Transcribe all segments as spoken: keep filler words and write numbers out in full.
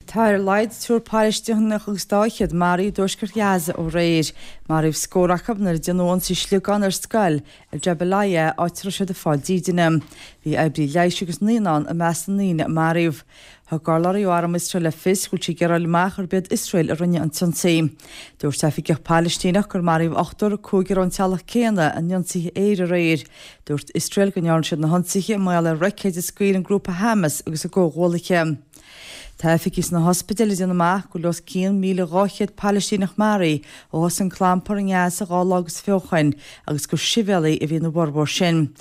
Tá ar a laghad triúr Palaistíneach agus dá fhichead maraithe i dtuaisceart Ghaza ó aréir. Maraíodh scór acu nuair a déanadh ionsaí sliogán ar scoil i Jabalia, áit a raibh siad ag fáil dídine. Bhí oibrí leighis agus naíonáin i measc na ndaoine a maraíodh. Thug urlabhraí ó arm Iosrael le fios go bhfuil siad ag iarraidh a fháil amach gurb iad Iosrael a rinne an t-ionsaí. Dúirt oifigeach Palaistíneach gur maraíodh ochtar, cúigear ón teaghlach céanna, in ionsaithe aeir aréir. Dúirt Iosrael go ndearna siad na hionsaithe mar gheall ar roicéid a scaoil an grúpa Hamas agus a gcomhghuaillithe. Tá oifigigh sna hospidéil ag déanamh amach go bhfuil os cionn míle dhá chéad Palaistíneach maraithe ó thosaigh an clampar i nGaza dhá lá agus fiche ó shoin agus gur sibhialaigh a bhí ina bhformhór sin.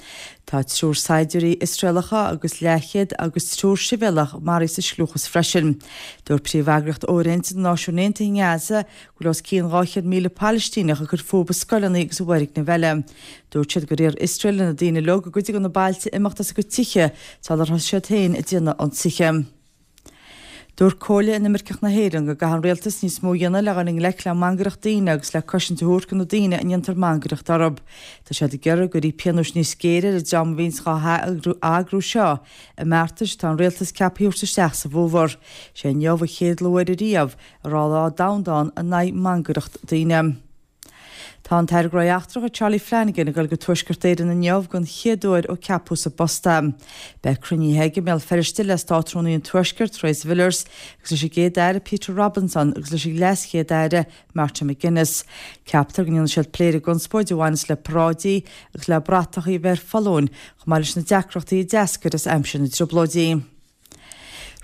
Tá triúr saighdiúirí Iosraelacha agus leathchéad agus triúr sibhialach maraithe sa scliúchas freisin. Dúirt príomheagraíocht fhóirithinte na Náisiún Aontaithe i nGaza go bhfuil os cionn dhá chéad míle Palaistíneach ag cur fúthu i scoileanna agus i bhfoirgnimh eile. Dúirt siad gur iarr Iosrael ar na daoine uilig i gcuid de na bailte imeacht as a gcuid tithe sular thosaigh siad féin ag déanamh ionsaithe. Dúirt Comhairle Inimirceach na hÉireann go gcaithfidh an rialtas níos mó a dhéanamh le dhul i ngleic le mangaireacht daoine agus le cosaint a thabhairt do na daoine a ndéantar mangaireacht orthu. Tá siad ag iarraidh go gcuirfí pionóis níos géire ar an dream a bhíonns á eagrú seo i mbeartais atá an rialtas ceaptha a thabhairt isteach sa bhfómhar. Sé inniu an chéad uair ariamh a raibh lá domhanda ann in aghaidh mangaireacht daoine. Tá an tAire Gnóthaí Eachtracha Charlie Flanagan ag dul go Tuaisceart Éireann inniu den chéad uair ó ceapadh sa bpost é. Beidh cruinnithe aige i mBéal Feirste le Státrúnaí an Tuaiscirt, Theresa Villiers, agus leis an gCéad-Aire Peter Robinson agus leis an LeasChéad-Aire Martin McGuinness. Ceaptar go ndéanfaidh siad plé ar an gconspóid a bhaineas le paráidí agus le bratachaí a bheith ar foluain chomh maith leis na deacrachtaí a d'eascair as aimsir na dTrioblóidí.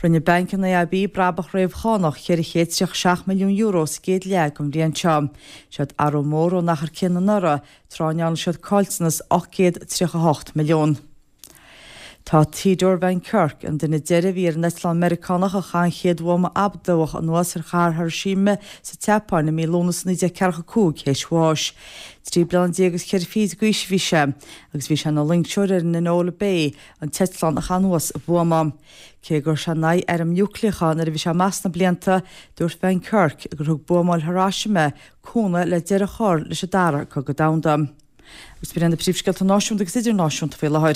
Rinne Banc an AIB brabach réamhchánach ceithre chéad tríocha seacht milliún euro sa gcéad leath den bhliain seo. Siod athrú mór ón achar céanna anuraidh, tráth a ndearna siad caillteanas ocht gcéad tríocha hocht milliún. Tá Theodore Van Kirk, an duine deiridh a bhí ar an eitleán Meiriceánach a chaith an chéad bhuama adamhach anuas ar chathair Hiroshima sa tSeapáin i mí Lúnasa naoi déag ceathracha cúig, théis bháis. Trí bliana déag agus ceithre fichid d'aois a bhí sé, agus bhí sé ina loingseoir ar an Enola Bay, an t-eitleán a chaith anuas an buama. Cé gur chuir sé in aghaidh airm núicléacha nuair a bhí sé amach sna blianta, dúirt Van Kirk gur thug buamáil Hiroshima cúnamh le deireadh a chur leis an Dara Cogadh Domhanda. Agus b'in na príomhscéalta náisiúnta agus idirnáisiúnta faoi láthair.